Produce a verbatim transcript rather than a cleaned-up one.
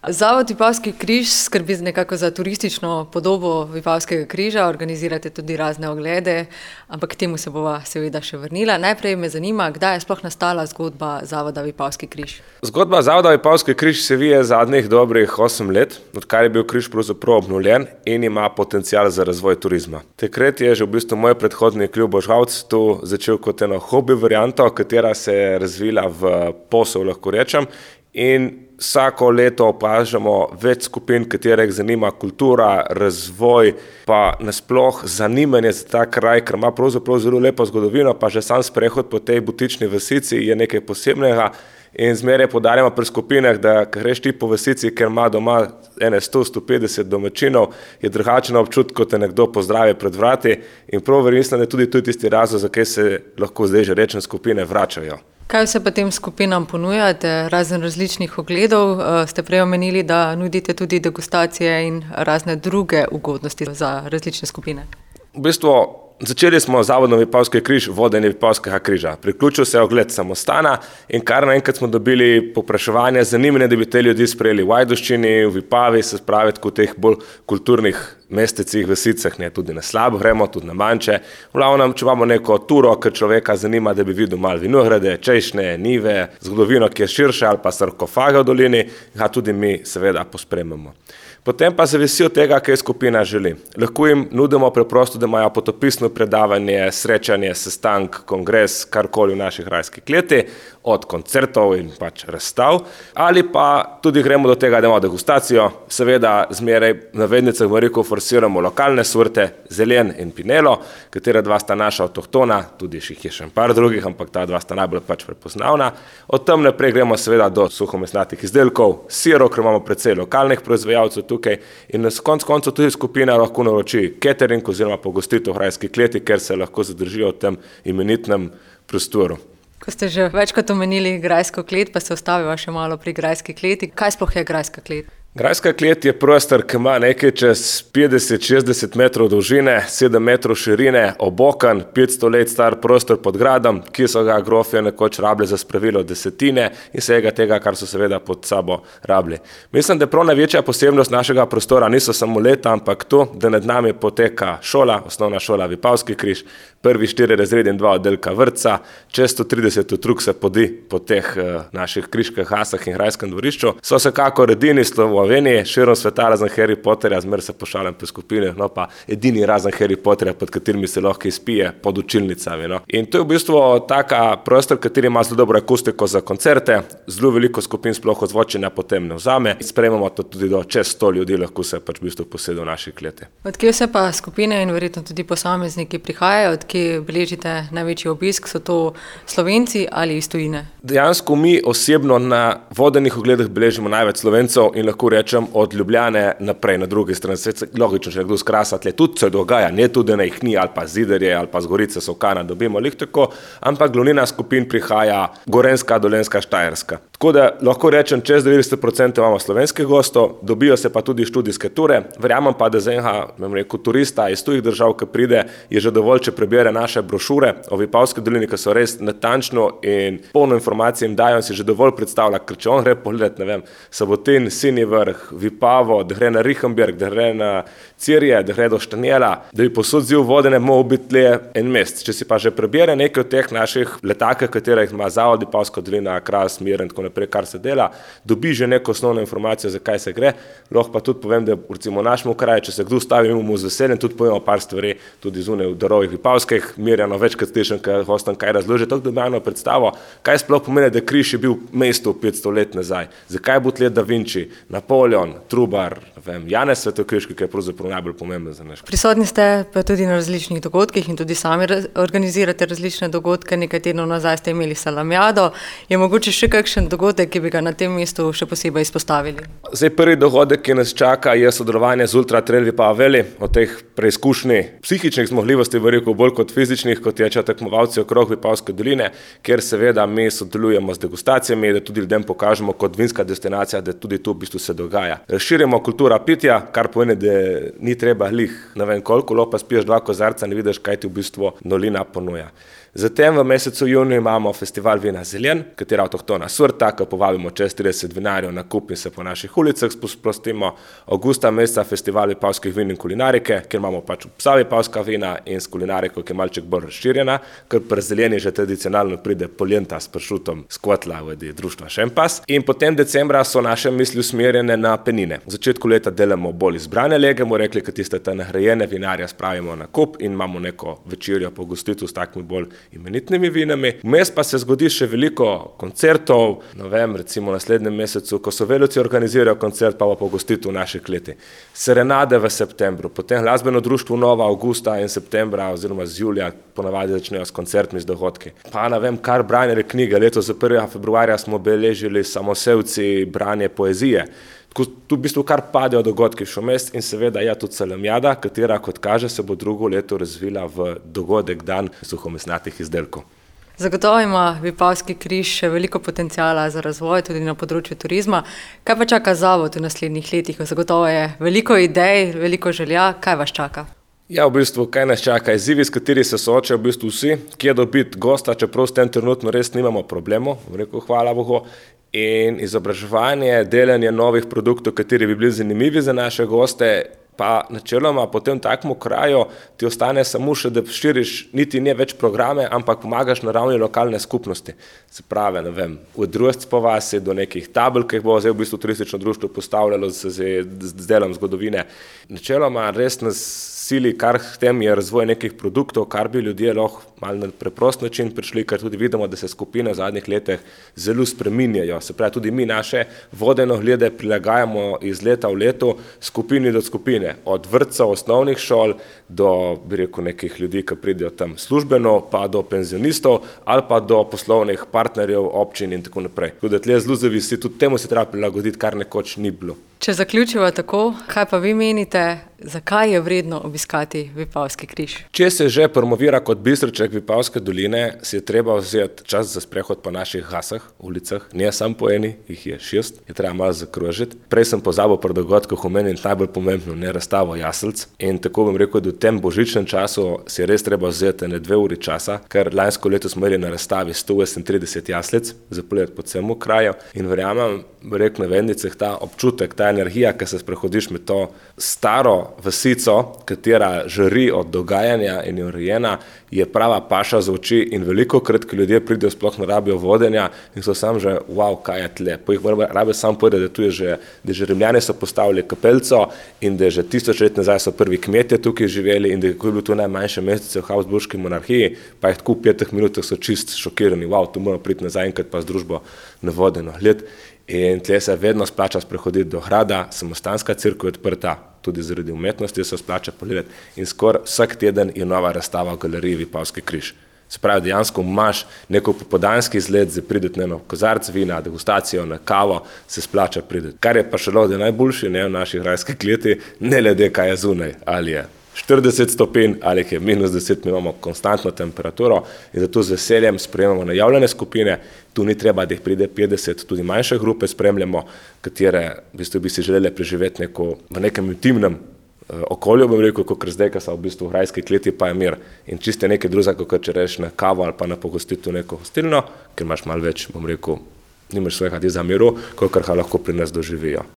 Zavod Vipavski križ skrbi nekako za turistično podobo Vipavskega križa, organizirate tudi razne oglede, ampak k temu se bova seveda še vrnila. Najprej me zanima, kdaj je sploh nastala zgodba Zavoda Vipavski križ? Zgodba Zavoda Vipavski križ se vije zadnjih dobrih osem let, odkar je bil križ pravzaprav obnovljen in ima potencial za razvoj turizma. Takrat je že v bistvu moj predhodnik Ljubo Žavc tu začel kot eno hobi varianto, katera se je razvila v posel, lahko rečem, in vsako leto opažamo več skupin, katerih zanima kultura, razvoj, pa nasploh zanimanje za ta kraj, ker ima pravzaprav zelo lepo zgodovino, pa že sam sprehod po tej butični vasici je nekaj posebnega in zmeraj poudarjamo pri skupinah, da greš ti po vasici, ker ima doma ene sto do sto petdeset domačinov, je drugačen občutek, kot te nekdo pozdravi pred vrati in prav verjetno je tudi to tisti razlog, zakaj se lahko zdaj že rečem skupine vračajo. Kaj vse pa tem skupinam ponujate, razen različnih ogledov? Ste prej omenili, da nudite tudi degustacije in razne druge ugodnosti za različne skupine. V bistvu začeli smo z Zavodom Vipavski križ, vodenje Vipavskega križa. Priključil se je ogled samostana in kar naenkrat smo dobili povpraševanje, zanimanje, da bi te ljudi sprejeli v Ajdovščini, v Vipavi, se spravi v teh bolj kulturnih mestecih, vasicah, ne, tudi na Slabo gremo, tudi na manjše. V glavnem, če imamo neko turo, ker človeka zanima, da bi videl malo vinograde, češnje, njive, zgodovino, ki je širša, ali pa sarkofage v dolini, ga tudi mi seveda pospremimo. Potem pa zavisi od tega, kaj skupina želi. Lahko jim nudimo preprosto, da imajo potopisno predavanje, srečanje, sestank, kongres, karkoli v naši grajski kleti, od koncertov in pač razstav, ali pa tudi gremo do tega, da imamo degustacijo, seveda zmeraj na vednicah v reku forsiramo lokalne sorte, zelen in pinelo, katera dva sta naša avtohtona, tudi jih je še par drugih, ampak ta dva sta najbolj pač prepoznavna. Od tam naprej gremo seveda do suhomesnatih izdelkov, sirov, ker imamo precej lokalnih proizvajalcev tukaj in na koncu koncev tudi skupina lahko naroči catering oziroma pogostitev v grajski kleti, ker se lahko zadržijo v tem imenitnem prostoru. Ko ste že večkrat omenili grajsko klet, pa se ostaviva še malo pri grajski kleti. Kaj sploh je grajska klet? Grajska klet je prostor, ki ima nekaj čez petdeset do šestdeset metrov dolžine, sedem metrov širine, obokan, petsto let star prostor pod gradom, ki so ga grofje nekoč rabili za spravilo desetine in vsega tega, kar so seveda pod sabo rabili. Mislim, da je prav največja posebnost našega prostora niso samo leta, ampak to, da nad nami poteka šola, osnovna šola Vipavski križ, prvi štiri razredi in dva oddelka vrtca, čez sto trideset otrok se podi po teh uh, naših križkah, hasah in grajskem dvorišču. So se kako edini Sloveniji, širom sveta razen Harry Potterja, zmer se pošalim po skupine, no pa edini razen Harry Potterja, pod katerimi se lahko izpije, pod učilnicami. No. In to je v bistvu taka prostor, kateri ima zelo dobro akustiko za koncerte, zelo veliko skupin sploh ozvočenja potem ne vzame. Sprejemamo to tudi do čez sto ljudi, lahko se pač v bistvu posede v naši kleti. Odkje vse pa skupine in verjetno tudi posamezniki prihajajo, odkje beležite največji obisk, so to Slovenci ali iz tujine? Dejansko mi osebno na vodenih ogledih beležimo največ Slovencev in lahko rečem od Ljubljane naprej na drugi strani. Logično, če nekdo z Krasa tle, tudi se dogaja, ne tudi na jih ni, ali pa Zidarje, ali pa z Gorice, Solkana, dobimo lih tako, ampak glavnina skupin prihaja Gorenjska, Dolenjska, Štajerska. Tako da lahko rečem, čez devetdeset procentov imamo slovenskih gostov, dobijo se pa tudi študijske ture. Verjamem pa, da za enega, bom rekel, turista iz tujih držav, ki pride, je že dovolj, če prebere naše brošure o Vipavski dolini, ki so res natančno in polno informacije jim dajo in si že dovolj predstavlja, ker če on gre pogledati, ne vem, Sabotin, Sinji vrh, Vipavo, da gre na Richenberg, da gre na Cirje, da gre do Štanjela, da bi posod ziv vodene mogo biti le en mesec. Če si pa že prebere nekaj od teh naših letakov, katerih ima Zavod Vipavska dolina, Kras, Mir in tako naprej, kar se dela, dobi že neko osnovno informacijo, za kaj se gre. Lahko pa tudi povem, da recimo v našem kraju, če se kdo stavi, imamo z veseljem, tudi povemo par stvari, tudi zunaj v darovih Vipavskih, Mirjano večkrat slišim, ker hostam kaj razloži, tako da imamo predstavo, kaj sploh pomeni, da križ je bil mesto petsto let nazaj. Zakaj bo tle Da Vinci, Napoleon, Trubar, vem, Janez Svetokriški, ki je pravzaprav najbolj pomemben za naš. Prisotni ste pa tudi na različnih dogodkih in tudi sami organizirate različne dogodke. Nekaj tednov nazaj ste imeli salamjado. Je mogoče še kakšen dogodek, ki bi ga na tem mestu še posebej izpostavili? Zdaj prvi dogodek, ki nas čaka, je sodelovanje z Ultra Trail Vipava Valley. O teh preizkušnji psihičnih zmogljivosti, veliko bolj kot fizičnih, kot tečejo tekmovalci okrog Vipavske doline, kjer seveda mi sodelujemo z degustacijami, da tudi ljudem pokažemo kot vinska destinacija, da tudi tu v bistvu se dogaja. Širimo kultura pitja, kar pomeni, da ni treba lih, ne vem koliko, lopa spiješ dva kozarca, ne vidiš, kaj ti v bistvu dolina ponuja. Zatem v mesecu juniju imamo festival Vina Zeljen, katera avtohtona sorta, ko povabimo čez trideset vinarjev na kup in se po naših ulicah sprostimo. Augusta meseca festival vipavskih vin in kulinarike, kjer imamo pač vsa vipavska vina in s kulinariko, ki je malček bolj razširjena, ker pri Zeljeni že tradicionalno pride poljenta s pršutom z kotla v društva Šempas. In potem decembra so naše misli usmerjene na penine. V začetku leta delamo bolj izbrane lege, bomo rekli, kad tiste ta nagrajene vinarja spravimo na kup in imamo neko večerjo po gostitu s takimi bolj imenitnimi vinami. Vmes pa se zgodi še veliko koncertov, ne vem, recimo v naslednjem mesecu, ko so Velovci organizirajo koncert, pa bo pogostitev v naši kleti. Serenade v septembru, potem glasbeno društvo Nova avgusta in septembra oziroma z julija ponavadi začnejo s koncertmi, z dogodki. Pa ne vem, kar branje knjige, letos za prvega februarja smo beležili Samosevci branje poezije. Tu v bistvu kar padejo dogodki v Šumest in seveda je tudi Salamjada, katera, kot kaže, se bo drugo leto razvila v dogodek dan suhomesnatih izdelkov. Zagotovo ima Vipavski križ še veliko potencijala za razvoj tudi na področju turizma. Kaj pa čaka zavod v naslednjih letih? Zagotovo je veliko idej, veliko želja. Kaj vas čaka? Ja, v bistvu, kaj nas čaka? Izzivi, s kateri se soočajo v bistvu vsi, kje dobiti gosta, čeprav s tem trenutno res nimamo problemov, rekel, hvala Bogu. In izobraževanje, delanje novih produktov, kateri bi bili zanimivi za naše goste, pa načeloma po tem takmu kraju ti ostane samo še, da širiš niti ne več programe, ampak pomagaš na ravni lokalne skupnosti. Se pravi, ne vem, od družc po vasi do nekih tabel, ki jih bo zdaj v bistvu turistično društvo postavljalo z, z, z delom zgodovine. Načeloma res nas sili, kar k tem je razvoj nekih produktov, kar bi ljudje lahko malo na preprost način prišli, ker tudi vidimo, da se skupine v zadnjih letih zelo spreminjajo. Se pravi, tudi mi naše vodeno glede prilagajamo iz leta v leto skupini do skupine. Od vrtcev, osnovnih šol do, bi rekel, nekih ljudi, ki pridejo tam službeno, pa do penzionistov ali pa do poslovnih partnerjev, občin in tako naprej. Tudi da tle zelo zavisi, tudi temu se treba prilagoditi, kar nekoč ni bilo. Če zaključiva tako, kaj pa vi menite, zakaj je vredno obiskati Vipavski križ? Če se že promovira kot bistrček Vipavske doline, si je treba vzeti čas za sprehod po naših hasah, ulicah. Ne samo po eni, jih je šest, je treba malo zakrožiti. Prej sem pozabil pri dogodkih omeniti najbolj pomembno, ne razstavo jaselc. In tako bom rekel, da v tem božičnem času si je res treba vzeti ne dve uri časa, ker lansko leto smo imeli na razstavi sto osemintrideset jaslec za pogled po celem kraju in verjamem, rekel na vendicah, ta občutek, ta energija, ki se sprehodiš med to staro vasico, katera žari od dogajanja in je urejena, je prava paša za oči in veliko krat, ki ljudje pridejo, sploh ne rabijo vodenja in so sam že, wow, kaj je tle. Po jih rabijo sam povedati, da tu je že, da že Rimljani so postavili kapelco in da že tisoč let nazaj so prvi kmetje tukaj živeli in da je bilo tu najmanjše mestece v Habsburški monarhiji, pa jih tako v petih minutah so čist šokirani, wow, tu moramo priti nazaj enkrat pa z družbo na vodeno gled. In tle se vedno splača sprehoditi do grada, samostanska cerkev je odprta, tudi zaradi umetnosti se splača pogledati in skoraj vsak teden je nova razstava v galeriji Vipavski križ. Se pravi, dejansko imaš neko popoldanski izlet za prideti na eno kozarc vina, degustacijo, na kavo, se splača prideti. Kar je pa še lahko najboljši, ne, v naši grajski kleti, ne glede kaj je zunaj, ali je štirideset stopinj ali je minus deset, mi imamo konstantno temperaturo in zato z veseljem sprejemamo najavljene skupine, tu ni treba, da jih pride petdeset, tudi manjše grupe spremljamo, katere v bistvu bi si želeli preživeti neko, v nekem intimnem uh, okolju, bom rekel, kot zdaj, ko so v bistvu v grajski kleti, pa je mir in čiste nekaj drugega, kot če reš na kavo ali pa na pogostitev neko hostilno, ker imaš malo več, bom rekel, nimaš svojega za miru, kolikor ga lahko pri nas doživijo.